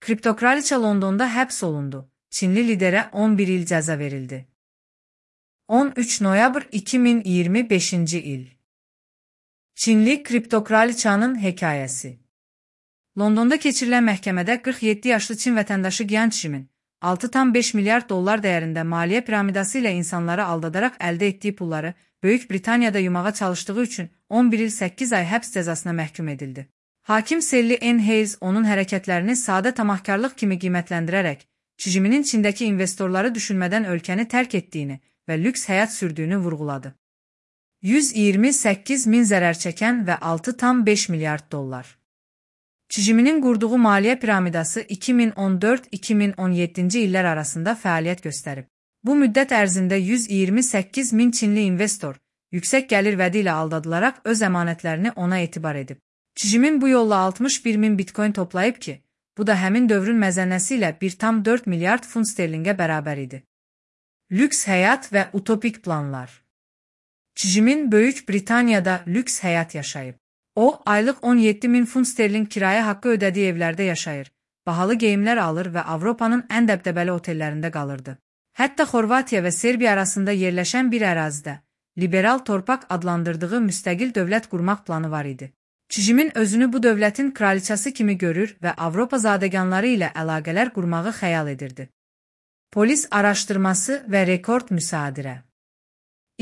Kriptokraliçə Londonda həbs olundu. Çinli liderə 11 il cəza verildi. 13 noyabr 2025-ci il. Çinli kriptokraliçanın hekayəsi. Londonda keçirilən məhkəmədə 47 yaşlı Çin vətəndaşı Gian Chimin 6,5 milyard dollar dəyərində maliyyə piramidası ilə insanları aldadaraq əldə etdiyi pulları Böyük Britaniyada yumağa çalışdığı üçün 11 il 8 ay həbs cəzasına məhkum edildi. Hakim Sally Ann Hayes onun hərəkətlərini sadə tamahkarlıq kimi qiymətləndirərək, Chiminin Çindəki investorları düşünmədən ölkəni tərk etdiyini və lüks həyat sürdüyünü vurğuladı. 128 min zərər çəkən və 6,5 milyard dollar. Chiminin qurduğu maliyyə piramidası 2014-2017-ci illər arasında fəaliyyət göstərib. Bu müddət ərzində 128 min Çinli investor yüksək gəlir vədi ilə aldadılaraq öz əmanətlərini ona etibar edib. Chimin bu yolla 61 min bitcoin toplayıb ki, bu da həmin dövrün məzənnəsi ilə 1,4 milyard funt sterlingə bərabər idi. Lüks həyat və utopik planlar. Chimin Böyük Britaniyada lüks həyat yaşayıb. O, aylıq 17 min funt sterling kirayə haqqı ödədiyi evlərdə yaşayır, bahalı geyimlər alır və Avropanın ən dəbdəbəli otellərində qalırdı. Hətta Xorvatiya və Serbiya arasında yerləşən bir ərazidə liberal torpaq adlandırdığı müstəqil dövlət qurmaq planı var idi. Chimin özünü bu dövlətin kraliçası kimi görür və Avropa zadəganları ilə əlaqələr qurmağı xəyal edirdi. Polis araşdırması və rekord müsadirə.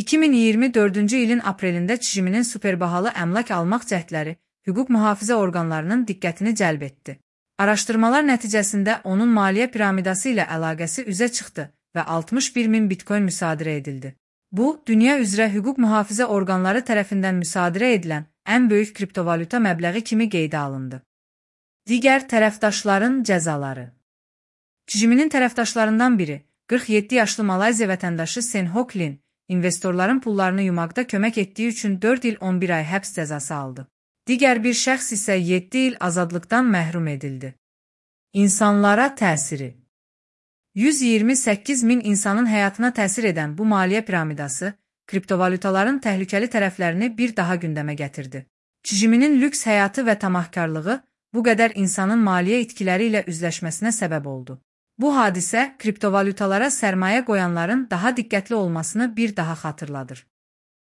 2024-cü ilin aprelində Chiminin superbahalı əmlak almaq cəhdləri hüquq mühafizə orqanlarının diqqətini cəlb etdi. Araşdırmalar nəticəsində onun maliyyə piramidası ilə əlaqəsi üzə çıxdı və 61 min bitcoin müsadirə edildi. Bu, dünya üzrə hüquq mühafizə orqanları tərəfindən müsadirə edilən ən böyük kriptovalyuta məbləği kimi qeydə alındı. Digər tərəfdaşların cəzaları. Chiminin tərəfdaşlarından biri, 47 yaşlı Malayziya vətəndaşı Sen Hock Lin, investorların pullarını yumaqda kömək etdiyi üçün 4 il 11 ay həbs cəzası aldı. Digər bir şəxs isə 7 il azadlıqdan məhrum edildi. İnsanlara təsiri. 128 min insanın həyatına təsir edən bu maliyyə piramidası, kriptovalyutaların təhlükəli tərəflərini bir daha gündəmə gətirdi. Chiminin lüks həyatı və tamahkarlığı bu qədər insanın maliyyə itkiləri ilə üzləşməsinə səbəb oldu. Bu hadisə kriptovalyutalara sərmayə qoyanların daha diqqətli olmasını bir daha xatırladır.